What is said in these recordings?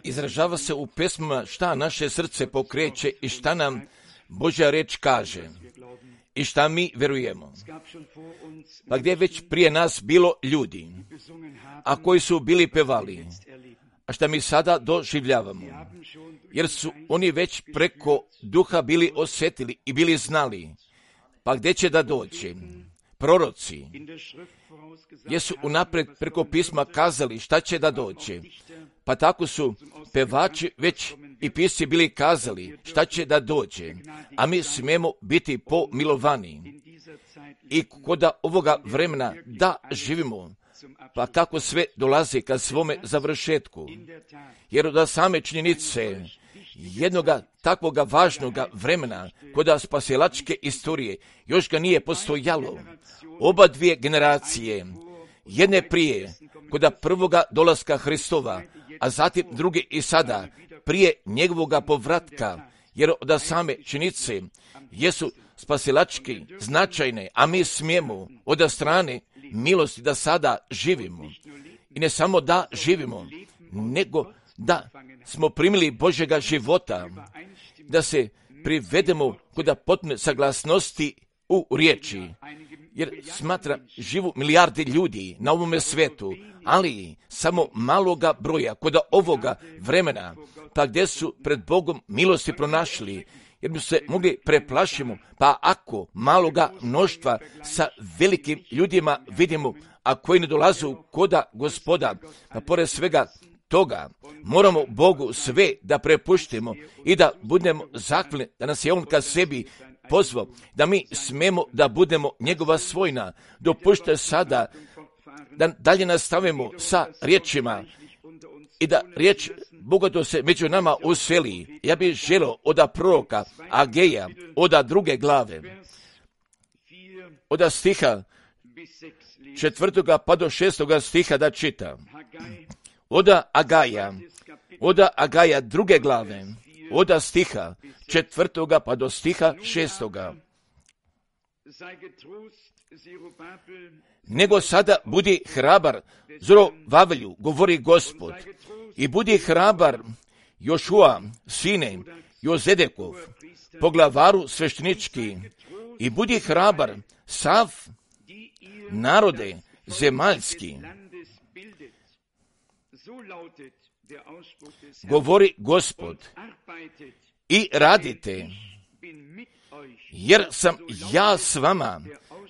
Izražava se u pesmama šta naše srce pokreće i šta nam Božja reč kaže i šta mi verujemo. Pa gdje je već prije nas bilo ljudi, a koji su bili pevali, a šta mi sada doživljavamo, jer su oni već preko duha bili osjetili i bili znali, pa gdje će da doći. Proroci jesu unaprijed preko pisma kazali šta će da doći, pa tako su pevači već i pisci bili kazali šta će da dođe, a mi smijemo biti pomilovani i kod ovoga vremena da živimo, pa kako sve dolazi ka svome završetku, jer od same činjenice jednoga takvoga važnoga vremena kod spasilačke istorije još ga nije postojalo. Oba dvije generacije, jedne prije kod prvoga dolaska Hristova, a zatim druge i sada prije njegovoga povratka, jer od same činjenice jesu spasilački značajne, a mi smijemo od strane milosti da sada živimo. I ne samo da živimo, nego da smo primili Božjega života, da se privedemo kod potpune saglasnosti u riječi, jer smatra živu milijarde ljudi na ovome svetu, ali samo maloga broja kod ovoga vremena, pa gdje su pred Bogom milosti pronašli, jer bi se mogli preplašimo, pa ako maloga mnoštva sa velikim ljudima vidimo, a koji ne dolazu koda Gospoda, pa pored svega toga moramo Bogu sve da prepuštimo i da budemo zahvalni da nas je On ka sebi pozvao, da mi smemo da budemo njegova svojina. Dopušte sada da dalje nastavimo sa riječima i da riječ Boga to se među nama useli. Ja bih želio od proroka Ageja, od 2. glave, od stiha 4. pa do 6. stiha da čitam. Od Agaja 2. glave, od stiha 4. pa do stiha 6. Nego sada budi hrabar, Zorovavelju, govori Gospod, i budi hrabar Jošua, sine Jozedekov, poglavaru sveštenički, i budi hrabar sav narode zemaljski. Govori Gospod, i radite, jer sam ja s vama,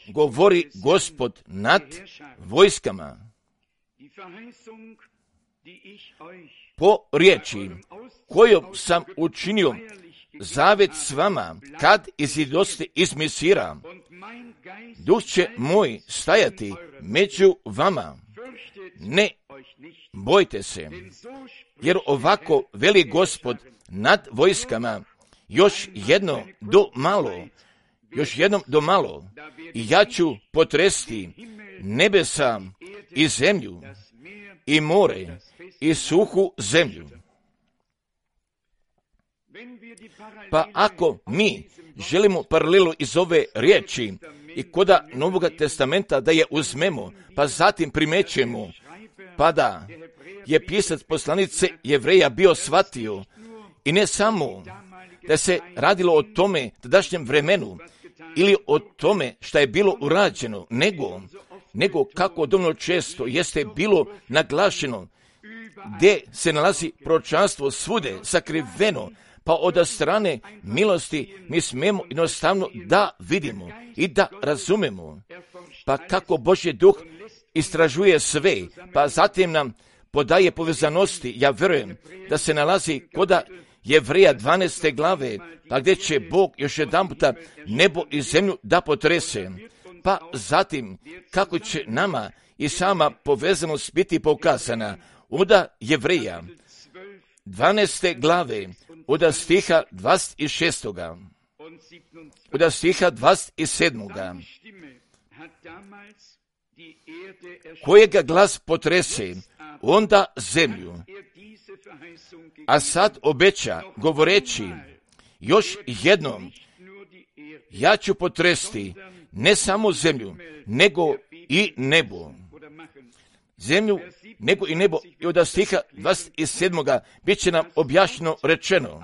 govori Gospod nad vojskama. Po riječi kojom sam učinio zavet s vama, kad izidoste iz Misira, duh će moj stajati među vama. Ne bojte se, jer ovako veli Gospod nad vojskama, još jednom do malo, i ja ću potresti nebesa i zemlju, i more, i suhu zemlju. Pa ako mi želimo paralelu iz ove riječi i koda Novoga testamenta da je uzmemo, pa zatim primećemo, pa da je pisac poslanice Jevreja bio shvatio, i ne samo da se radilo o tome tadašnjem vremenu ili o tome šta je bilo urađeno, nego kako dovoljno često jeste bilo naglašeno, gdje se nalazi proročanstvo svude sakriveno, pa od strane milosti mi smemo jednostavno da vidimo i da razumemo, pa kako Božji duh istražuje sve, pa zatim nam podaje povezanosti. Ja vjerujem da se nalazi koda Jevreja 12. glave, pa gdje će Bog još jedan puta nebo i zemlju da potrese, pa zatim kako će nama i sama povezanost biti pokazana. Od Jevreja 12. glave, od stiha 26. od stiha 27. Kojega glas potrese, onda zemlju, a sad obeća, govoreći, još jednom, ja ću potresti ne samo zemlju, nego i nebo. zemlju, nego i nebo. I od stiha 27. bit će nam objašnjeno rečeno,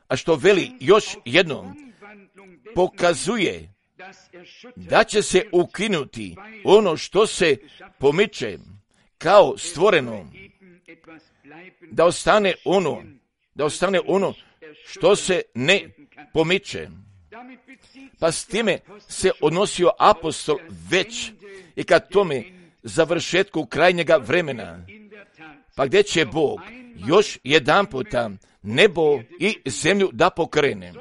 a što veli još jednom, pokazuje da će se ukinuti ono što se pomiče kao stvoreno, da ostane ono što se ne pomiče. Pa s time se odnosio apostol već i kad tome završetku krajnjega vremena, pa gdje će Bog još jedan puta nebo i zemlju da pokrene.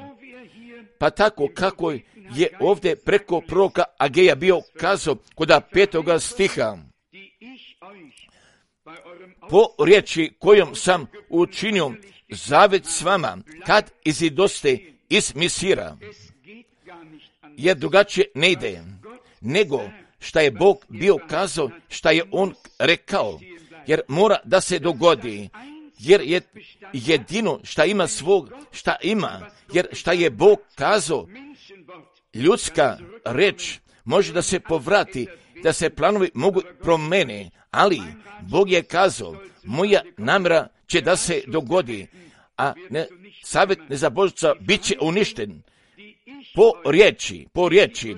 Pa tako kako je ovdje preko proroka Ageja bio kazao kod 5. stiha, po riječi kojom sam učinio zavet s vama, kad izidoste iz Misira, jer drugačije ne ide, nego šta je Bog bio kazao, šta je On rekao, jer mora da se dogodi, jer je jedino šta ima svog, šta ima, jer šta je Bog kazao, ljudska reč može da se povrati, da se planovi mogu promene, ali Bog je kazao, moja namjera će da se dogodi, a savjet nezabožca bit će uništen po riječi,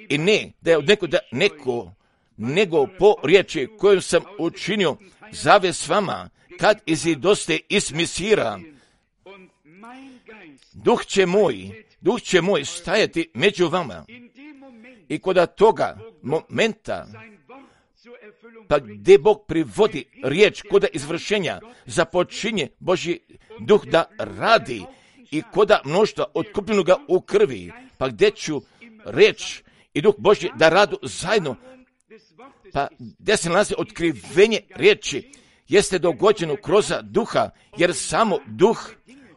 i ne da je od neko, nego po riječi koju sam učinio zavet s vama, kad izidoste iz Misira. Duh će moj stajati među vama. I kod toga momenta, pa gdje Bog privodi riječ kod izvršenja, započinje Božji duh da radi i kod mnoštva otkupljenoga u krvi, pa gdje ću riječ i duh Božji da radu zajedno, pa gdje se nalazi otkrivenje riječi, jeste dogođeno kroz duha, jer samo duh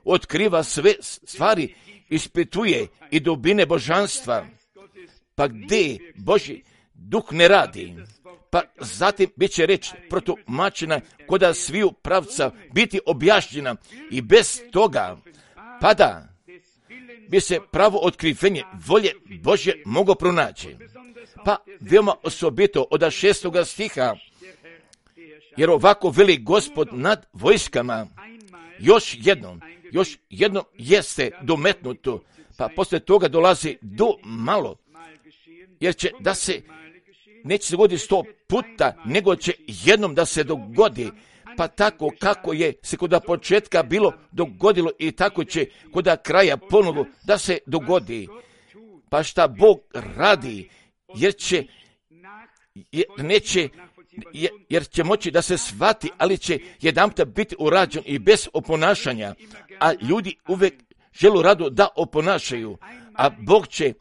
otkriva sve stvari, ispituje i dubine božanstva. Pa gdje Božji duh ne radi, pa zatim bit će reč protumačena kod sviju pravca biti objašnjena i bez toga pada bi se pravo otkrivenje volje Božje moglo pronaći. Pa veoma osobito od 6. stiha, jer ovako veli Gospod nad vojskama, još jednom jeste dometnuto, pa poslije toga dolazi do malo, jer će da se neće se dogoditi 100 puta, nego će jednom da se dogodi, pa tako kako je se kod početka bilo dogodilo i tako će kod kraja ponovo da se dogodi. Pa šta Bog radi, jer će moći da se shvati, ali će jedanput biti urađen i bez oponašanja, a ljudi uvijek žele rado da oponašaju, a Bog će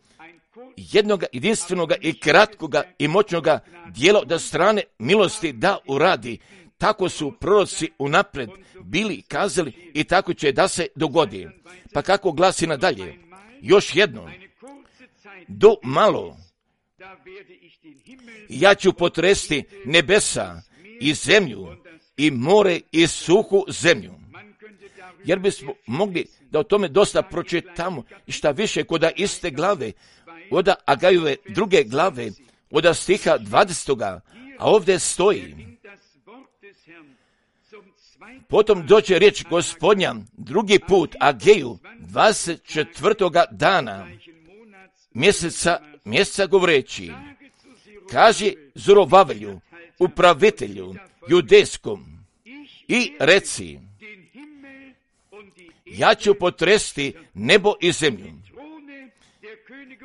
jednoga jedinstvenoga i kratkoga i moćnoga dijela da strane milosti da uradi. Tako su proroci unapred bili kazali i tako će da se dogodi. Pa kako glasi nadalje? Još jedno, do malo ja ću potresti nebesa i zemlju i more i suhu zemlju. Jer bismo mogli da o tome dosta pročitamo i šta više kod iste glave, od Agajove 2. glave, od stiha 20. A ovdje stoji: potom dođe riječ Gospodnja drugi put Ageju 24. dana mjeseca govoreći: kaži Zorovavelju, upravitelju judejskom, i reci: ja ću potresti nebo i zemlju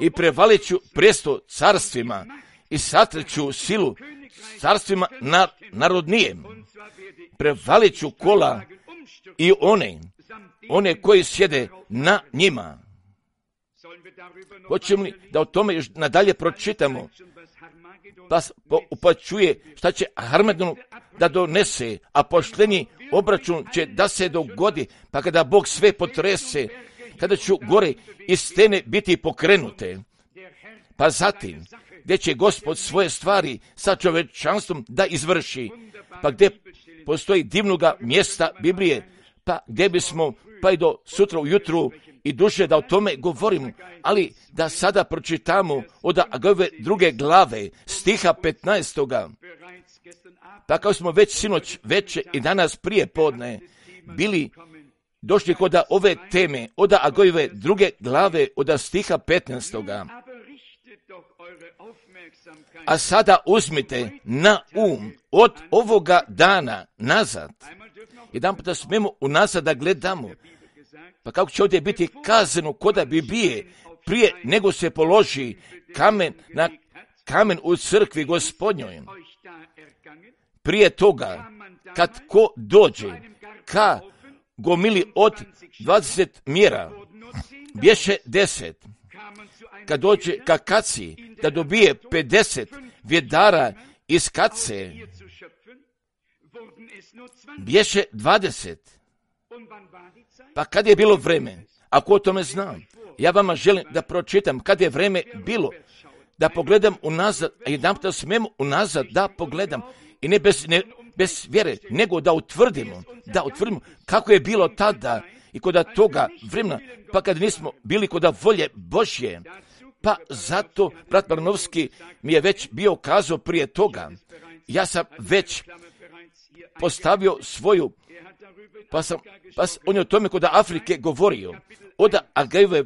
i prevalit ću presto carstvima i satreću silu carstvima narodnijem. Prevalit ću kola i one koji sjede na njima. Hoćemo li da o tome još nadalje pročitamo? Pa upačuje šta će Harmedonu da donese, a pošteni obračun će da se dogodi, pa kada Bog sve potrese, kada ću gore i stene biti pokrenute. Pa zatim, gdje će Gospod svoje stvari sa čovječanstvom da izvrši, pa gdje postoji divnoga mjesta Biblije, pa gdje bismo pa i do sutra ujutru i duže da o tome govorimo, ali da sada pročitamo od Agajove 2. glave, stiha 15. Pa kao smo već sinoć veče i danas prije podne bili došli kod ove teme, od Agajove 2. glave, od stiha 15. A sada uzmite na od ovoga dana nazad. Jedan puta smemo unazad da gledamo. Pa kako će ovdje biti kazano koda bi bije prije nego se položi kamen na kamen u crkvi Gospodnjoj. Prije toga, kad ko dođe ka gomili od 20 mjera, bješe 10. Kad dođe ka kaci, da dobije 50 vjedara iz kace, bješe 20. Pa kad je bilo vreme? Ako o tome znam, ja vama želim da pročitam kad je vreme bilo, da pogledam unazad, a jedan puta smemo unazad da pogledam, i ne bez vjere, nego da utvrdimo kako je bilo tada i kod toga vremena, pa kad nismo bili kod volje Božje. Pa zato, brat Barnovski mi je već bio kazao prije toga, ja sam već postavio svoju, pa on je o tome kod Afrike govorio, od Agajove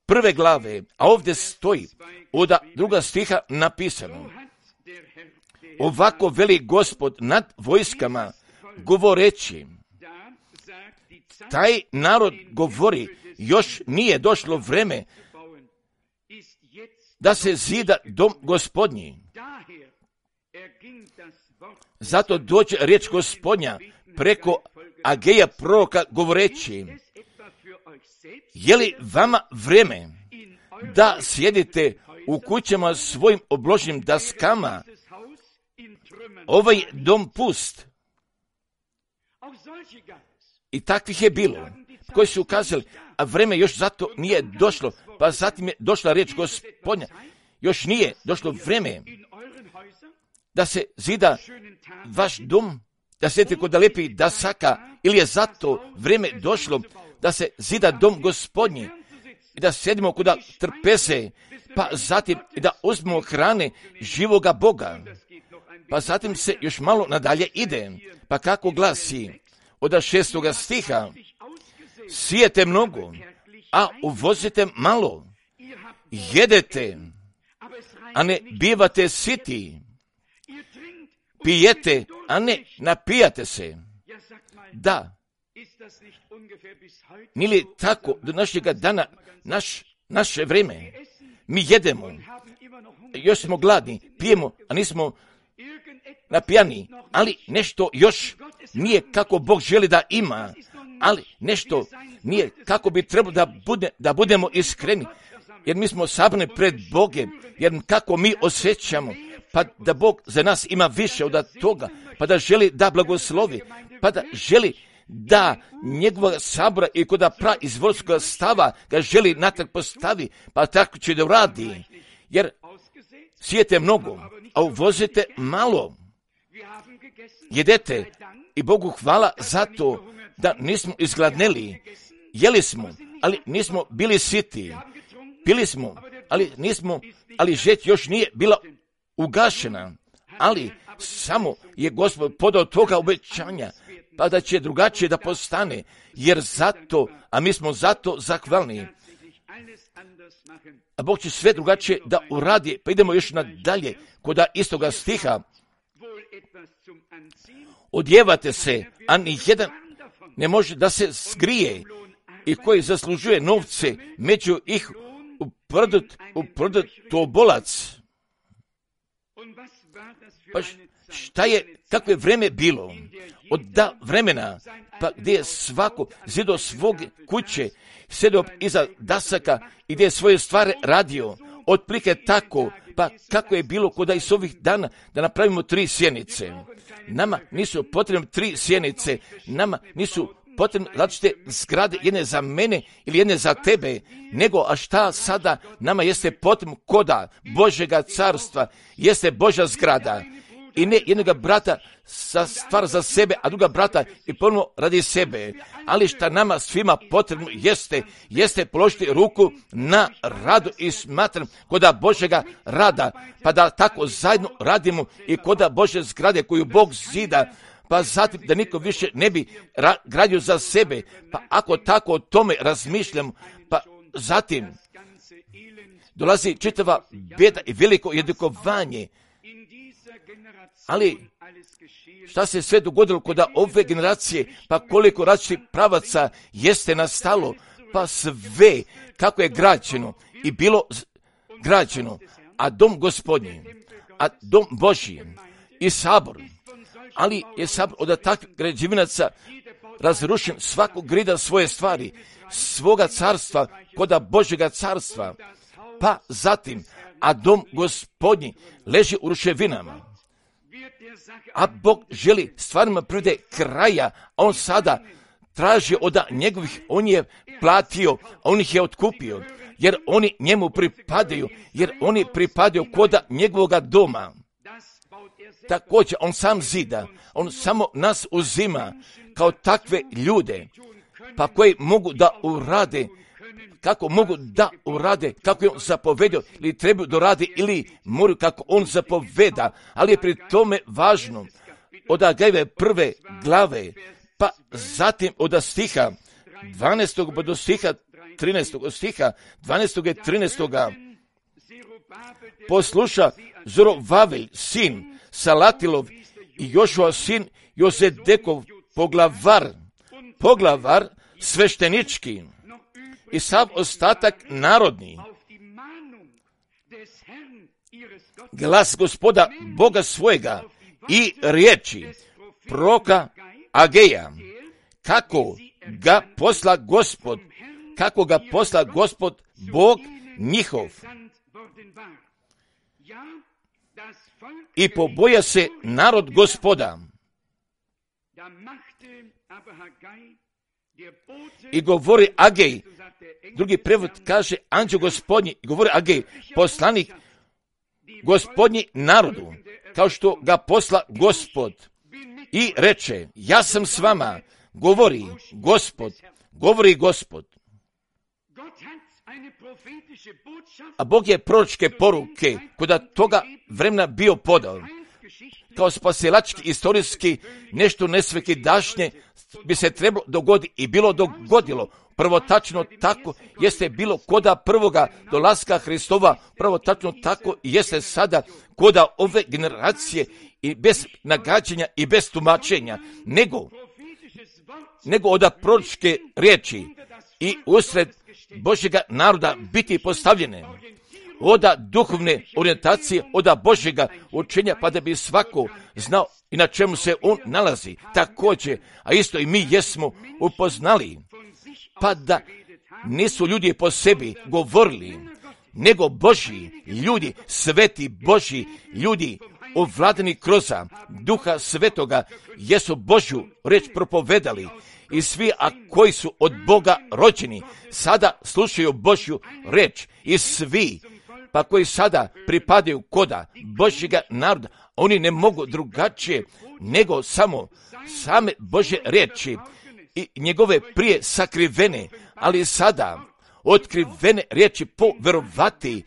1. glave, a ovdje stoji od 2. stiha napisano: ovako veli Gospod nad vojskama, govoreći, taj narod govori, još nije došlo vreme da se zida dom Gospodnji. Zato dođe riječ Gospodnja preko Ageja proroka govoreći, je li vama vreme da sjedite u kućama svojim obloženim daskama, ovaj dom pust? I takvih je bilo, koji su ukazali, a vreme još zato nije došlo, pa zatim je došla riječ Gospodnja, još nije došlo vreme da se zida vaš dom, da sjedite kod lijepih dasaka, ili je zato vreme došlo da se zida dom Gospodnji i da sjedimo kod trpeze, pa zatim i da uzmemo hrane živoga Boga. Pa zatim se još malo nadalje ide, pa kako glasi od 6. stiha, sijete mnogo, a uvozite malo, jedete, a ne bivate siti, pijete, a ne napijate se. Da, nije li tako do našega dana, naše vrijeme, mi jedemo, još smo gladni, pijemo, a nismo napijani, ali nešto još nije kako Bog želi da ima, ali nešto nije kako bi trebalo da budemo iskreni, jer mi smo sabrani pred Bogem, jer kako mi osjećamo, pa da Bog za nas ima više od toga, pa da želi da blagoslovi, pa da želi da njegova sabora i kod izvorskog stava ga želi natrag postavi, pa tako će da uradi, jer sijete mnogo, a uvozite malo. Jedete i Bogu hvala zato da nismo izgladneli. Jeli smo, ali nismo bili siti. Pili smo, ali žeć još nije bila ugašena. Ali samo je Gospod podao toga obećanja, pa da će drugačije da postane, jer zato, a mi smo zato zahvalni. A Bog će sve drugačije da uradi, pa idemo još nadalje kod istoga stiha. Odjevate se, a ni jedan ne može da se skrije, i koji zaslužuje novce, među ih uprodut tobolac. Pa šta je, kakvo je vreme bilo? Od vremena, pa gdje je svako zido svog kuće, sjedio iza dasaka i gdje je svoje stvari radio, otplike tako, pa kako je bilo kod iz ovih dana da napravimo 3 sjenice. Nama nisu potrebne 3 sjenice, nama nisu potrebne različite zgrade, jedne za mene ili jedne za tebe, nego a šta sada nama jeste potrebno koda Božjega carstva, jeste Božja zgrada. i ne jednoga brata stvara za sebe, a druga brata i ponovno radi sebe. Ali šta nama svima potrebno jeste položiti ruku na radu i smatram koda Božjega rada, pa da tako zajedno radimo i koda Božje zgrade koju Bog zida, pa zatim da niko više ne bi gradio za sebe, pa ako tako o tome razmišljam, pa zatim dolazi čitava bjeda i veliko edukovanje. Ali šta se sve dogodilo kod ove generacije, pa koliko različitih pravaca jeste nastalo, pa sve kako je građeno i bilo građeno, a dom Gospodnji, a dom Božji i sabor, ali je sabor od takvih građevinaca razrušen svakog grida svoje stvari, svoga carstva, koda Božjega carstva, pa zatim, a dom Gospodnji leži u ruševinama. A Bog želi stvarima privede kraja, a on sada traži od njegovih, on je platio, on ih je otkupio, jer oni njemu pripadaju, jer oni pripadaju koda njegovoga doma. Također, on sam zida, on samo nas uzima kao takve ljude, pa koji mogu da urade, kako mogu da urade, kako je on zapovedio, ili trebaju da radi, ili moraju kako on zapoveda, ali je pri tome važno od Agajeve prve glave, pa zatim od stiha 12. do stiha 13. stiha 12. i 13. Posluša Zorovavelj, sin Salatilov i Jošua, sin Jozedekov, poglavar sveštenički i sav ostatak narodni. Glas Gospoda Boga svojega i riječi proka Ageja, kako ga posla Gospod Bog njihov. I poboja se narod Gospoda. I govori Agej, drugi prevod kaže anđeo Gospodnji, i govori Agej, poslanik Gospodnji narodu, kao što ga posla Gospod. I reče, ja sam s vama, govori Gospod. A Bog je proročke poruke kod toga vremena bio podao. Kao spasilački, istorijski, nešto nesvekidašnje bi se trebalo dogoditi i bilo dogodilo. Prvo tačno tako jeste bilo koda prvoga dolaska Hristova, prvo tačno tako jeste sada koda ove generacije i bez nagađanja i bez tumačenja, nego od proročke riječi i usred Božjega naroda biti postavljene, od duhovne orijentacije, od Božjega učenja, pa da bi svako znao i na čemu se on nalazi. Također, a isto i mi jesmo upoznali, pa da nisu ljudi po sebi govorili, nego Božji ljudi, sveti Božji ljudi, ovladani kroz Duha Svetoga, jesu Božju riječ propovedali. I svi, a koji su od Boga rođeni, sada slušaju Božju riječ. I svi, pa koji sada pripadaju koda Božjega naroda, oni ne mogu drugačije nego same Božje riječi i njegove prije sakrivene, ali sada otkrivene riječi poverovati,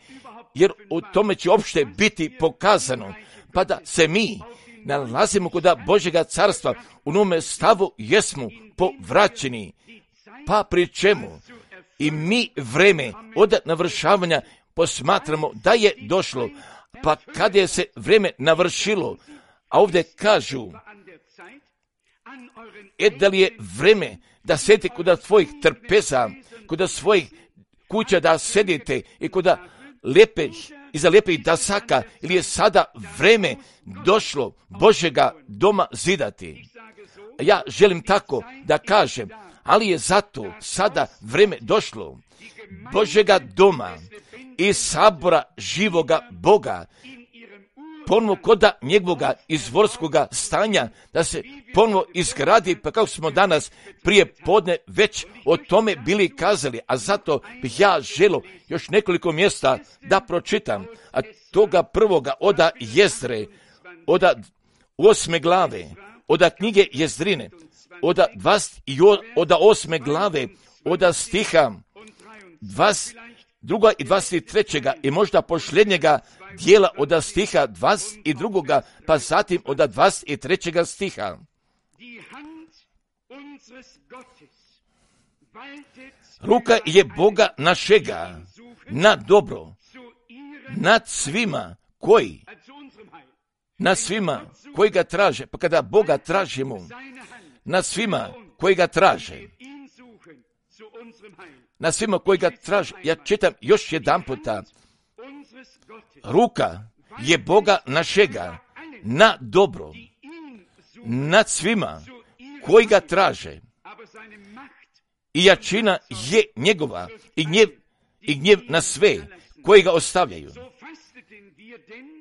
jer u tome će opšte biti pokazano, pa da se mi nalazimo kod Božjega carstva, u nome stavu jesmo povraćeni, pa pri čemu i mi vreme od navršavanja posmatramo da je došlo, pa kad je se vreme navršilo, a ovdje kažu, da li je vreme da sedite kod tvojih trpeza, kod svojih kuća da sedite i kod iza lijepih dasaka, ili je sada vreme došlo Božjega doma zidati. Ja želim tako da kažem, ali je zato sada vreme došlo Božjega doma i sabora živoga Boga, ponovo koda njegovoga izvorskoga stanja, da se ponovo izgradi, pa kako smo danas prije podne već o tome bili kazali, a zato bih ja želio još nekoliko mjesta da pročitam, a toga prvoga od Jezdre, od 8. glave, od knjige Jezdrine, od 8. glave, od stiha 22. i 23. i možda posljednjega dijela od stiha 22. pa zatim od 23. stiha. Ruka je Boga našega na dobro, nad svima koji ga traže. Pa kada Boga tražimo, nad svima koji ga traže, na svima koji ga traže. Ja čitam još jedan puta. Ruka je Boga našega na dobro, nad svima koji ga traže. I jačina je njegova i gnjev na sve koji ga ostavljaju.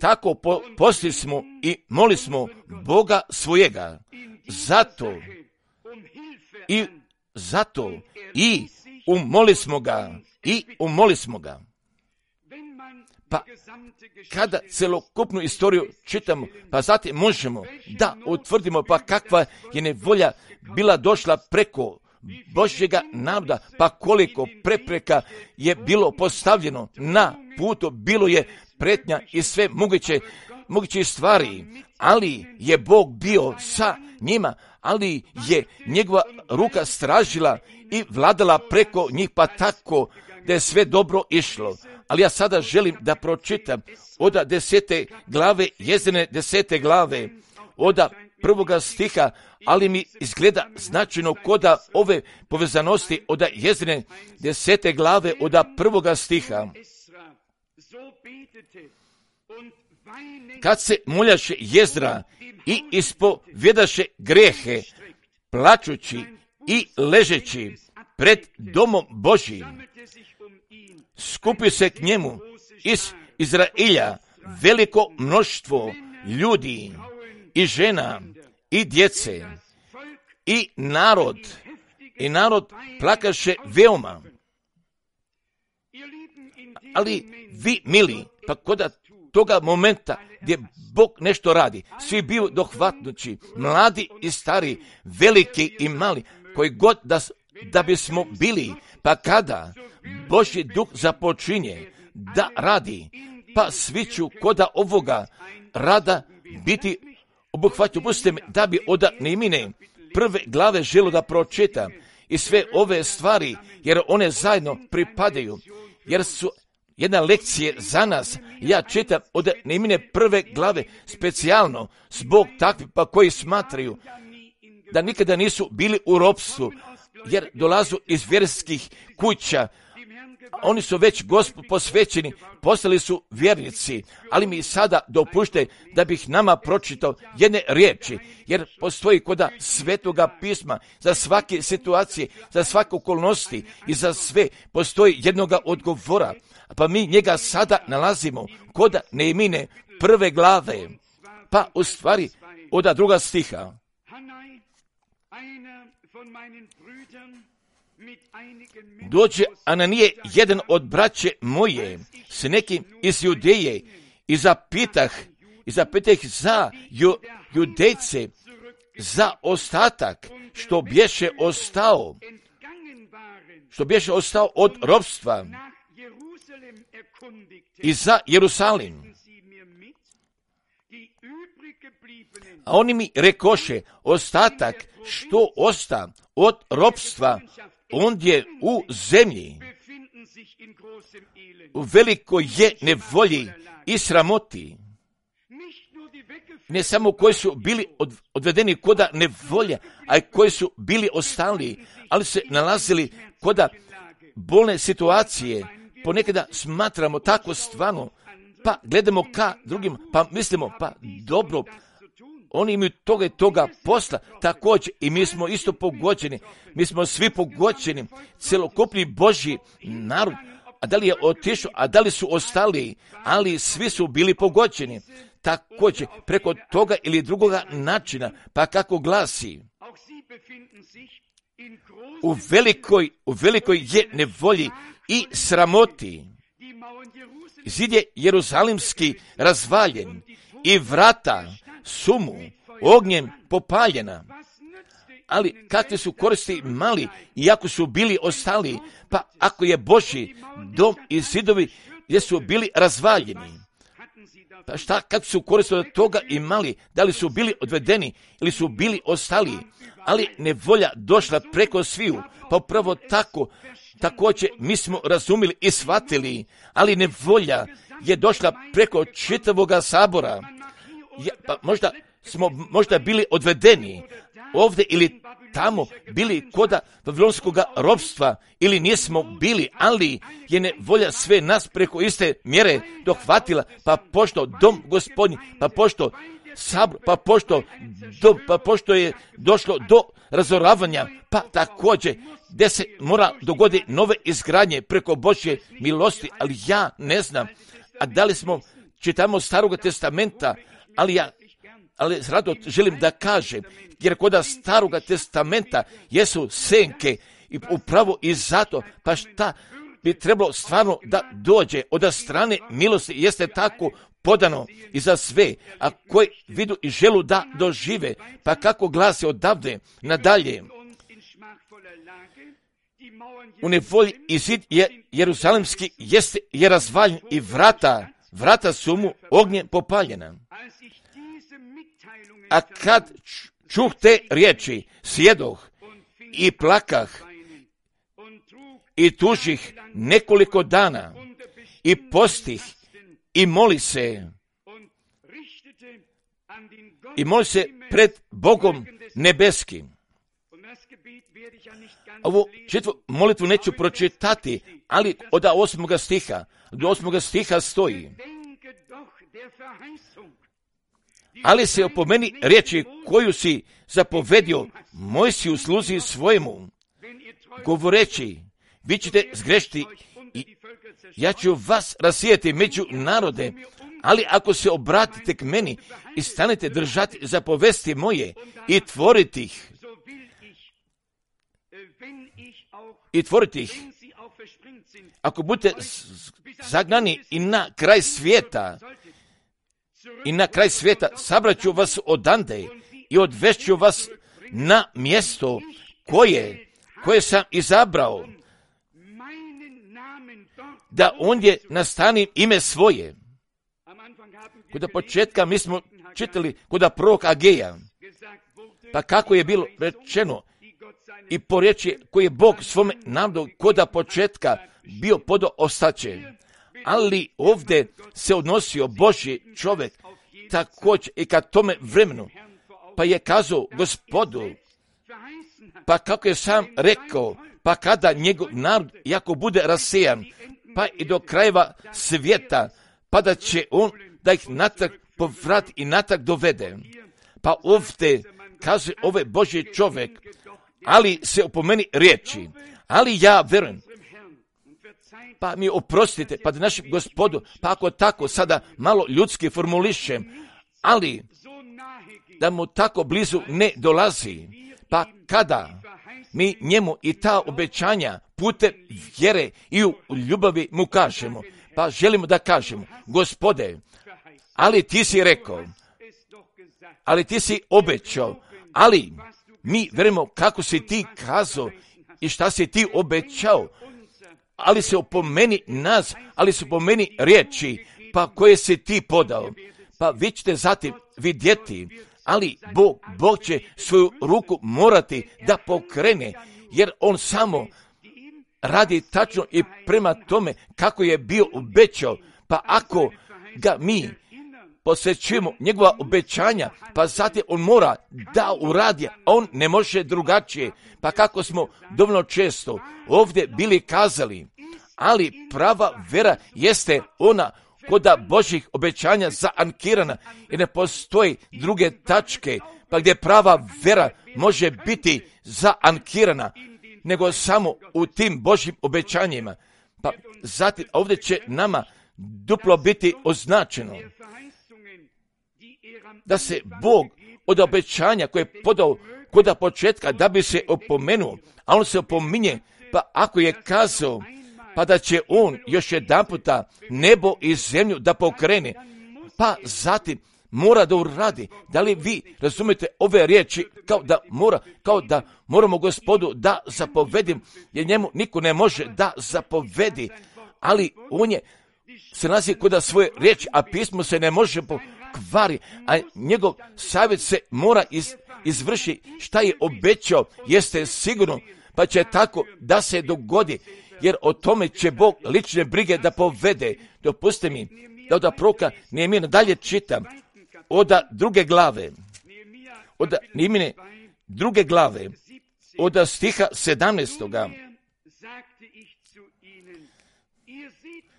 Tako posti smo i moli smo Boga svojega. Zato i umoli smo ga. Pa kada celokupnu istoriju čitamo, pa zatim možemo da utvrdimo pa kakva je nevolja bila došla preko Božjega naroda, pa koliko prepreka je bilo postavljeno na putu, bilo je pretnja i sve moguće stvari, ali je Bog bio sa njima, ali je njegova ruka stražila i vladala preko njih, pa tako da je sve dobro išlo. Ali ja sada želim da pročitam od 10. glave, Jezdrine 10. glave, od 1. stiha, ali mi izgleda značajno koda ove povezanosti od Jezdrine 10. glave, od 1. stiha. Kad se moljaše Jezdra i ispovjedaše grehe, plačući i ležeći pred domom Božjim, skupi se k njemu iz Izrailja veliko mnoštvo ljudi i žena i djece i narod plakaše veoma. Ali vi, mili, pa kod toga momenta gdje Bog nešto radi, svi bili dohvatnući, mladi i stari, veliki i mali, koji god da bismo bili, pa kada Božji duh započinje da radi, pa svi ću koda ovoga rada biti obuhvatio. Pustite me da bi od Nehemije 1. glave želio da pročitam i sve ove stvari, jer one zajedno pripadaju, jer su jedna lekcija za nas. Ja čitam od Nehemije 1. glave specijalno zbog takvih pa koji smatraju da nikada nisu bili u ropstvu, jer dolazu iz vjerskih kuća. Oni su već Gospodu posvećeni, postali su vjernici, ali mi sada dopušte da bih nama pročitao jedne riječi, jer postoji koda Svetoga pisma za svake situacije, za svake okolnosti i za sve postoji jednoga odgovora, pa mi njega sada nalazimo koda Nehemije 1. glave, pa u stvari od 2. stiha. Dođe Ananije, jedan od braće moje, s nekim iz Judeje, i zapitah za Judejce, za ostatak što bješe ostao od ropstva, i za Jerusalim. A oni mi rekoše, ostatak što osta od ropstva, on je u zemlji, u velikoj je nevolji i sramoti. Ne samo koji su bili odvedeni koda nevolje, a i koji su bili ostali, ali se nalazili koda bolne situacije. Ponekada smatramo tako stvarno, pa gledamo ka drugim, pa mislimo, pa dobro, oni imaju toga i toga posla, također i mi smo isto pogođeni, mi smo svi pogođeni, celokupni Božji narod, a da li je otišao, a da li su ostali, ali svi su bili pogođeni, također preko toga ili drugoga načina, pa kako glasi, u velikoj je nevolji i sramoti. Zid je Jerusalimski razvaljen i vrata su mu ognjem popaljena. Ali kakve su koristi mali, iako su bili ostali, pa ako je Božji dom i zidovi gdje su bili razvaljeni, pa šta kad su koristi od toga imali, da li su bili odvedeni ili su bili ostali, ali nevolja došla preko sviju, pa upravo tako, također mi smo razumili i shvatili, ali nevolja je došla preko čitavoga sabora. Pa možda bili odvedeni ovdje ili tamo, bili koda vavilonskog ropstva ili nismo bili, ali je nevolja sve nas preko iste mjere dohvatila, pa pošto dom Gospodnji, pa pošto sabor, pa pošto je došlo do razoravanja, pa također gdje se mora dogoditi nove izgradnje preko Božje milosti, ali ja ne znam, a da li smo čitamo Starog testamenta, ali rado želim da kažem, jer kod Starog testamenta jesu senke i upravo i zato, pa šta bi trebalo stvarno da dođe od strane milosti, jeste tako podano i za sve, a koji vidu i želu da dožive, pa kako glasi odavde nadalje. U nevolji i zid je jeruzalemski je razvaljen i vrata su mu ognjem popaljena. A kad čuh te riječi, sjedoh i plakah i tužih nekoliko dana i postih i moli se pred Bogom nebeskim. Ovu četvu molitvu neću pročitati, ali od 8. stiha, do 8. stiha stoji: ali se opomeni riječi koju si zapovedio Mojsiju sluzi svojemu, govoreći, vi ćete zgrešiti i ja ću vas rasijeti među narode, ali ako se obratite k meni i stanete držati zapovesti moje i tvoriti ih, ako budete zagnani i na kraj svijeta, sabraću vas odande i odvešću vas na mjesto koje sam izabrao, da ondje nastanim ime svoje. Kod početka mi smo čitali kod proroka Ageja, pa kako je bilo rečeno i po riječi koji je Bog svome narodu kod početka bio podao ostaće. Ali ovdje se odnosio Božji čovjek također i ka tome vremenu, pa je kazao Gospodu, pa kako je sam rekao, pa kada njegov narod jako bude rasejan, pa i do krajeva svijeta, pa da će on da ih natrag povrati i natrag dovede. Pa ovdje kaže ovaj Božji čovjek, ali se opomeni riječi, ali ja verujem, pa mi oprostite, pa da našem Gospodu, pa ako tako sada malo ljudski formulišem, ali da mu tako blizu ne dolazi, pa kada mi njemu i ta obećanja putem vjere i u ljubavi mu kažemo, pa želimo da kažemo, Gospode, ali ti si rekao, ali ti si obećao, ali mi verujemo kako si ti kazao i šta si ti obećao, ali se opomeni nas, ali se opomeni riječi, pa koje si ti podao. Pa vi ćete zatim vidjeti, ali Bog će svoju ruku morati da pokrene, jer on samo radi tačno i prema tome kako je bio obećao. Pa ako ga mi posjećujemo njegova obećanja, pa zatim on mora da uradi, a on ne može drugačije. Pa kako smo dovoljno često ovdje bili kazali, ali prava vera jeste ona koda Božjih obećanja zaankirana i ne postoji druge tačke, pa gdje prava vera može biti zaankirana, nego samo u tim Božjim obećanjima. Pa zatim ovdje će nama duplo biti označeno da se Bog od obećanja koje je podao kod početka da bi se opomenuo, a on se opominje, pa ako je kazao, pa da će on još jedan puta nebo i zemlju da pokrene, pa zatim mora da uradi. Da li vi razumijete ove riječi kao da moramo Gospodu da zapovedim, jer njemu niko ne može da zapovedi, ali on se nalazi kod svoje riječi, a pismo se ne može pokvari, a njegov savjet se mora izvrši. Šta je obećao jeste sigurno, pa će tako da se dogodi, jer o tome će Bog lične brige da povede. Dopustite mi da od proroka Nehemije dalje čitam od druge glave, od Nehemije druge glave, od stiha 17.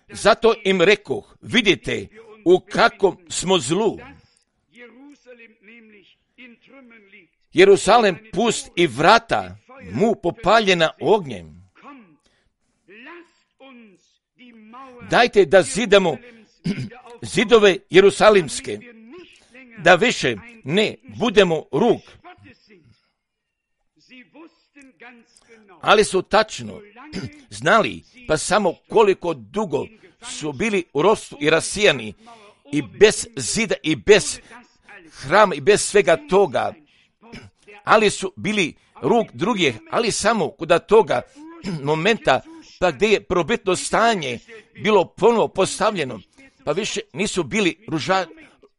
Zato im rekoh, vidite u kakvom smo zlu. Jerusalem pust i vrata mu popaljena ognjem. Dajte da zidamo zidove jerusalimske, da više ne budemo rug. Ali su tačno znali, pa samo koliko dugo su bili u ropstvu i rasijani i bez zida i bez hrama i bez svega toga, ali su bili rug drugih, ali samo kod toga momenta pa gdje je probitno stanje bilo ponovo postavljeno, pa više nisu bili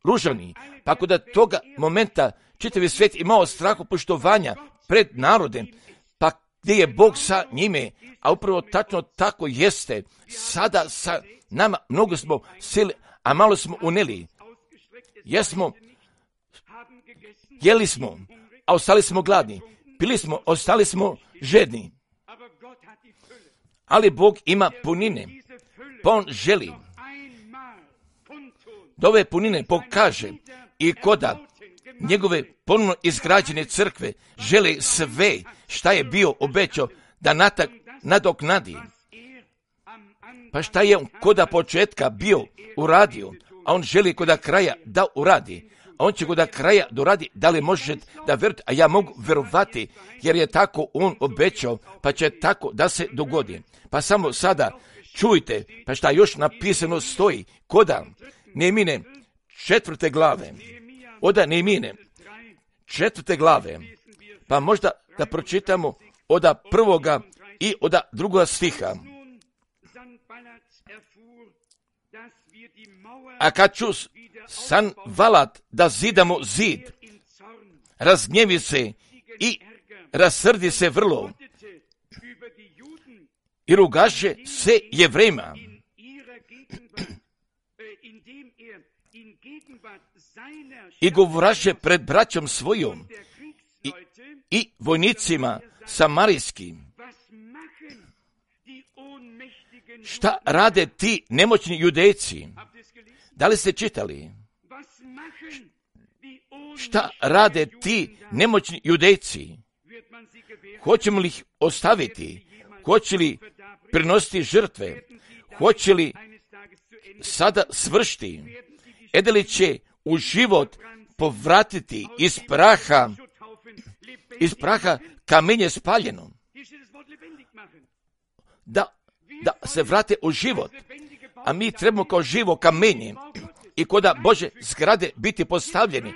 ružani, pa kod toga momenta čitavi svijet imao strahu poštovanja pred narodem, pa gdje je Bog sa njime, a upravo tačno tako jeste. Sada sa nama mnogo smo sili, a malo smo uneli. Jeli smo, a ostali smo gladni. Pili smo, ostali smo žedni. Ali Bog ima punine, pa on želi da ove punine pokaže i koda njegove ponovno izgrađene crkve žele sve šta je bio obećao da nadoknadi. Pa šta je on koda početka bio uradio, a on želi koda kraja da uradi. A on će koda kraja doradi, da li možete da verujete, a ja mogu verovati, jer je tako on obećao, pa će tako da se dogodi. Pa samo sada čujte, pa šta još napisano stoji, koda Nehemije 4. glave, od Nehemije 4. glave, pa možda da pročitamo od 1. i od 2. stiha. A kad ču Sanbalat da zidamo zid, razgnjevi se i rasrdi se vrlo i rugaše se Jevrejima. I govoraše pred braćom svojom i vojnicima samarijskim. Šta rade ti nemoćni Judejci? Da li ste čitali? Šta rade ti nemoćni Judejci? Hoćemo li ih ostaviti? Hoće li prinositi žrtve? Hoće li sada svršiti? Edeli će u život povratiti iz praha kamenje spaljeno. Da se vrate u život. A mi trebamo kao živo kamenje i koda Bože zgrade biti postavljeni.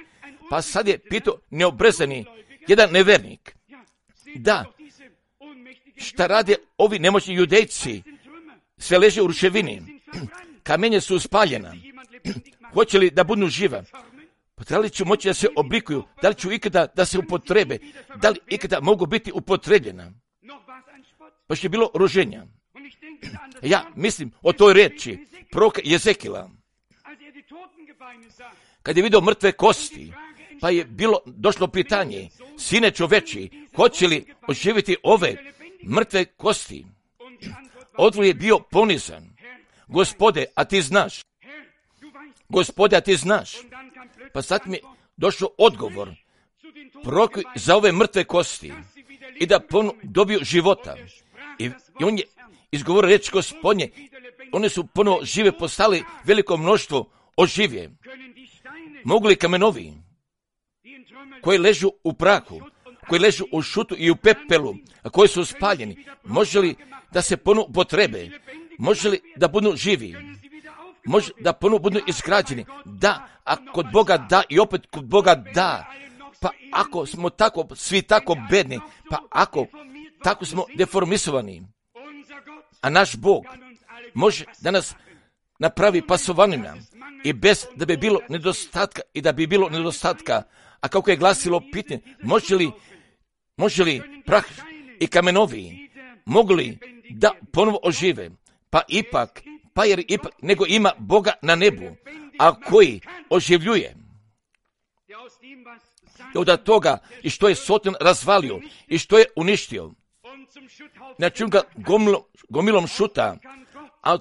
Pa sad je pitao neobrezani jedan nevernik. Da, šta rade ovi nemoćni Judejci? Sve leže u ruševini. Kamenje su spaljena. Hoće li da budu živa? Pa da li ću moći da se oblikuju? Da li ću ikada da se upotrebe? Da li ikada mogu biti upotrebljena? Pa što je bilo ruženja. Ja mislim o toj riječi proroka Jezekila. Kad je vidio mrtve kosti, pa je došlo pitanje, sine čoveči, hoće li oživjeti ove mrtve kosti? Odgovor je bio ponizan. Gospode, a ti znaš. Gospode, a ti znaš. Pa sad mi je došao odgovor. Prorokuj za ove mrtve kosti i da dobiju života. I on je izgovorio riječ Gospodnje. One su ponovo žive postali, veliko mnoštvo oživje. Mogu li kamenovi koji ležu u prahu, koji ležu u šutu i u pepelu, a koji su spaljeni, može li da se ponovo upotrebe? Može li da budu živi? može da ponovo budu izgrađeni. Da, a kod Boga da i opet kod Boga da. Pa ako smo tako, svi tako bedni, pa ako tako smo deformisovani, a naš Bog može da nas napravi pasovanima i bez da bi bilo nedostatka i da bi bilo nedostatka, a kako je glasilo pitanje, može li prah i kamenovi mogli da ponovo ožive, nego ima Boga na nebu, a koji oživljuje. I od toga i što je Soton razvalio i što je uništio, znači ga gomilom šuta, a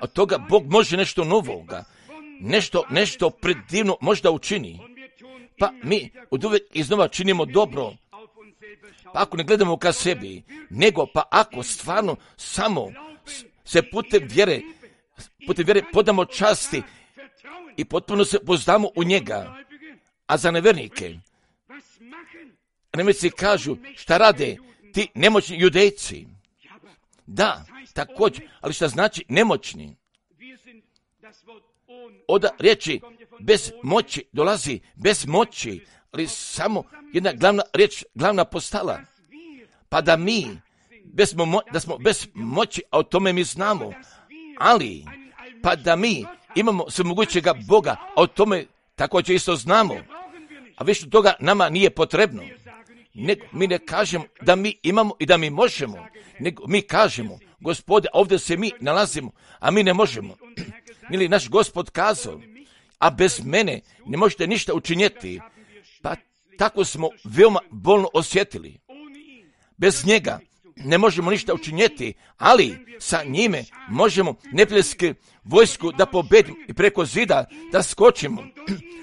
od toga Bog može nešto novoga, nešto predivno možda učini. Pa mi od uvijek iznova činimo dobro, pa ako ne gledamo ka sebi, nego pa ako stvarno samo se putem vjere podamo časti i potpuno se pozdamo u njega. A za nevernike, nevjernici kažu šta rade ti nemoćni Judejci. Da, također, ali šta znači nemoćni? Od riječi bez moći dolazi bez moći, ali samo jedna glavna riječ, glavna postala. Pa da da smo bez moći, a o tome mi znamo, ali pa da mi imamo svemogućega Boga, a o tome također isto znamo, a više toga nama nije potrebno. Mi ne kažemo da mi imamo i da mi možemo, nego mi kažemo, Gospode, ovdje se mi nalazimo, a mi ne možemo. Ili naš Gospod kazao, a bez mene ne možete ništa učinjeti. Pa tako smo veoma bolno osjetili. Bez njega ne možemo ništa učinjeti, ali sa njime možemo neprijateljsku vojsku da pobedimo i preko zida da skočimo,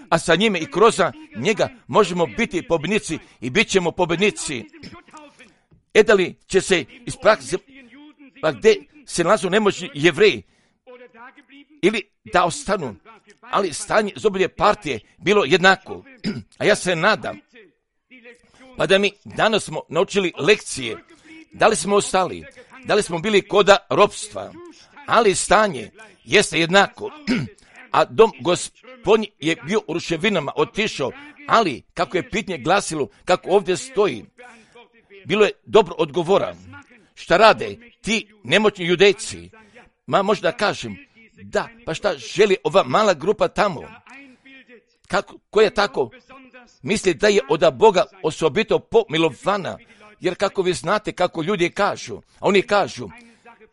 a sa njime i kroz njega možemo biti pobjednici i bit ćemo pobjednici. Da li će se ispraktiti, pa gdje se nalazu nemoćni Jevreji, ili da ostanu, ali stanje iz obje partije bilo jednako. A ja se nadam, pa da mi danas smo naučili lekcije, da li smo ostali, da li smo bili koda ropstva, ali stanje jeste jednako, a dom Gospodnji je bio u ruševinama, otišao, ali kako je pitanje glasilo, kako ovdje stoji, bilo je dobro odgovora. Šta rade ti nemoćni Judejci? Možda kažem, da, pa šta želi ova mala grupa tamo? Koja tako misli da je od Boga osobito pomilovana? Jer kako vi znate kako ljudi kažu, a oni kažu,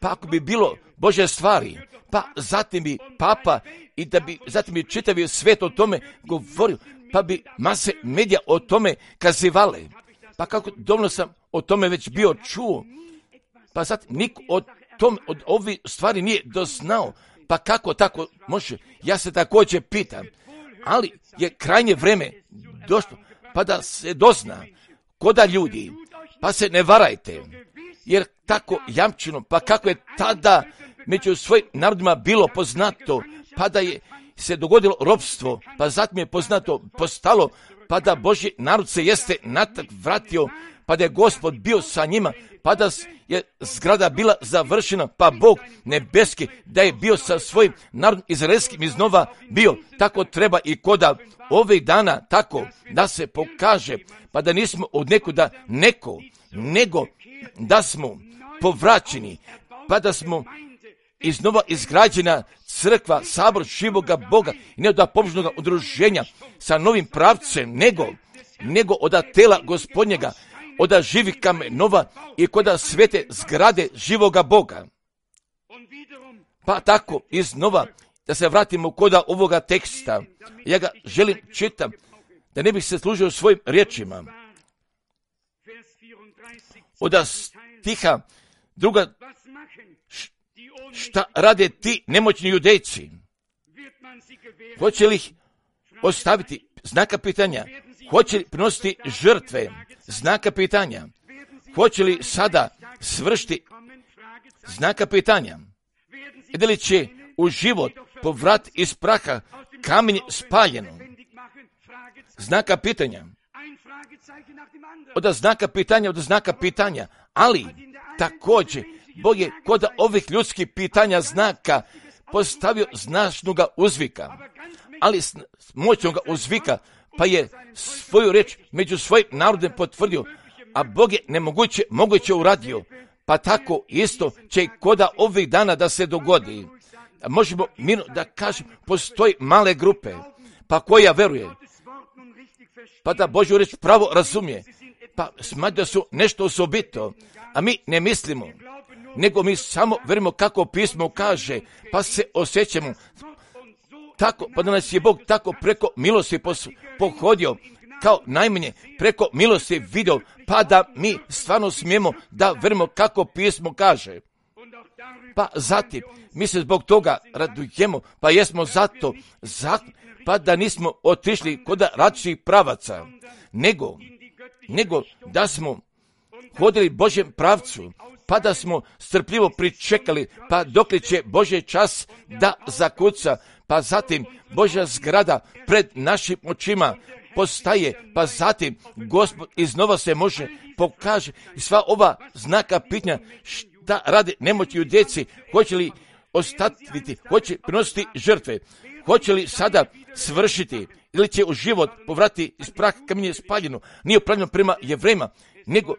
pa ako bi bilo Božje stvari, pa zatim bi papa i da bi zatim bi čitavi svijet o tome govorio, pa bi mase medija o tome kazivale. Pa kako dovoljno sam o tome već bio čuo, pa zatim niko od ovih stvari nije doznao, pa kako tako može? Ja se također pitam, ali je krajnje vreme došlo, pa da se dozna, koda ljudi, pa se ne varajte, jer tako jamčeno, pa kako je tada među svojim narodima bilo poznato, pa da je se dogodilo ropstvo, pa zatim je poznato postalo, pa da Božji narod se jeste natrag vratio, pa da je Gospod bio sa njima, pa da je zgrada bila završena, pa Bog nebeski da je bio sa svojim narodom izraelskim iznova bio. Tako treba i koda ovih dana, tako da se pokaže, pa da nismo od nekuda nego da smo povraćeni, pa da smo iznova izgrađena crkva, sabor živoga Boga i ne od pobožnog udruženja sa novim pravcem, nego od tela Gospodnjega, od živih kamenova i koda svete zgrade živoga Boga. Pa tako iznova da se vratimo koda ovoga teksta. Ja ga želim čitam, da ne bih se služio svojim riječima. Od stiha druga, šta rade ti nemoćni Judejci? Hoće li ih ostaviti? Znaka pitanja. Hoće li prinositi žrtve? Znaka pitanja. Hoće li sada svršiti? Znaka pitanja. Da li će u život povrat iz praha kamenje spaljeno? Znaka pitanja. Od znaka pitanja. Ali također Bog je kod ovih ljudskih pitanja znaka postavio značnoga uzvika, ali moćnoga uzvika, pa je svoju reč među svojim narodom potvrdio, a Bog je moguće uradio, pa tako isto će i koda ovih dana da se dogodi. Možemo mirno da kažem, postoji male grupe, pa koja veruje, pa da Božju reč pravo razumije, pa smatra da su nešto osobito, a mi ne mislimo, nego mi samo verujemo kako pismo kaže, pa se osjećamo tako, pa da nas je Bog tako preko milosti pohodio, kao najmanje preko milosti vidio, pa da mi stvarno smijemo da verujemo kako pismo kaže. Pa zatim, mi se zbog toga radujemo, pa jesmo zato, pa da nismo otišli kod različitih pravaca, nego da smo hodili Božjem pravcu, pa da smo strpljivo pričekali, pa dokle će Božji čas da zakuca, pa zatim Božja zgrada pred našim očima postaje, pa zatim Gospod iznova se može pokaže i sva ova znaka pitanja šta rade nemoćni u djeci, hoće li ostatiti, hoće prinositi žrtve, hoće li sada svršiti ili će u život povratiti iz praha kamenje spaljeno, nije upravljeno prema Jevrejima, nego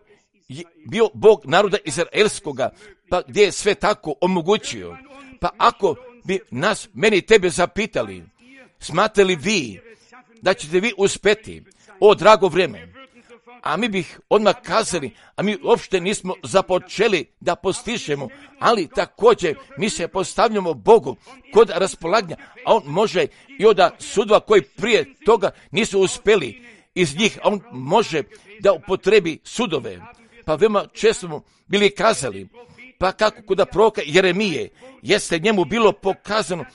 je bio Bog naroda izraelskoga, pa gdje je sve tako omogućio. Pa ako bi nas, meni i tebe zapitali, smatrate li vi da ćete vi uspjeti, o drago vrijeme, a mi bih odmah kazali, a mi uopšte nismo započeli da postižemo, ali također mi se postavljamo Bogu kod raspolaganja, a on može i od sudova koji prije toga nisu uspjeli, iz njih on može da upotrebi sudove. Pa veoma često smo bili kazali, pa kako kod proroka Jeremije, jeste njemu bilo pokazano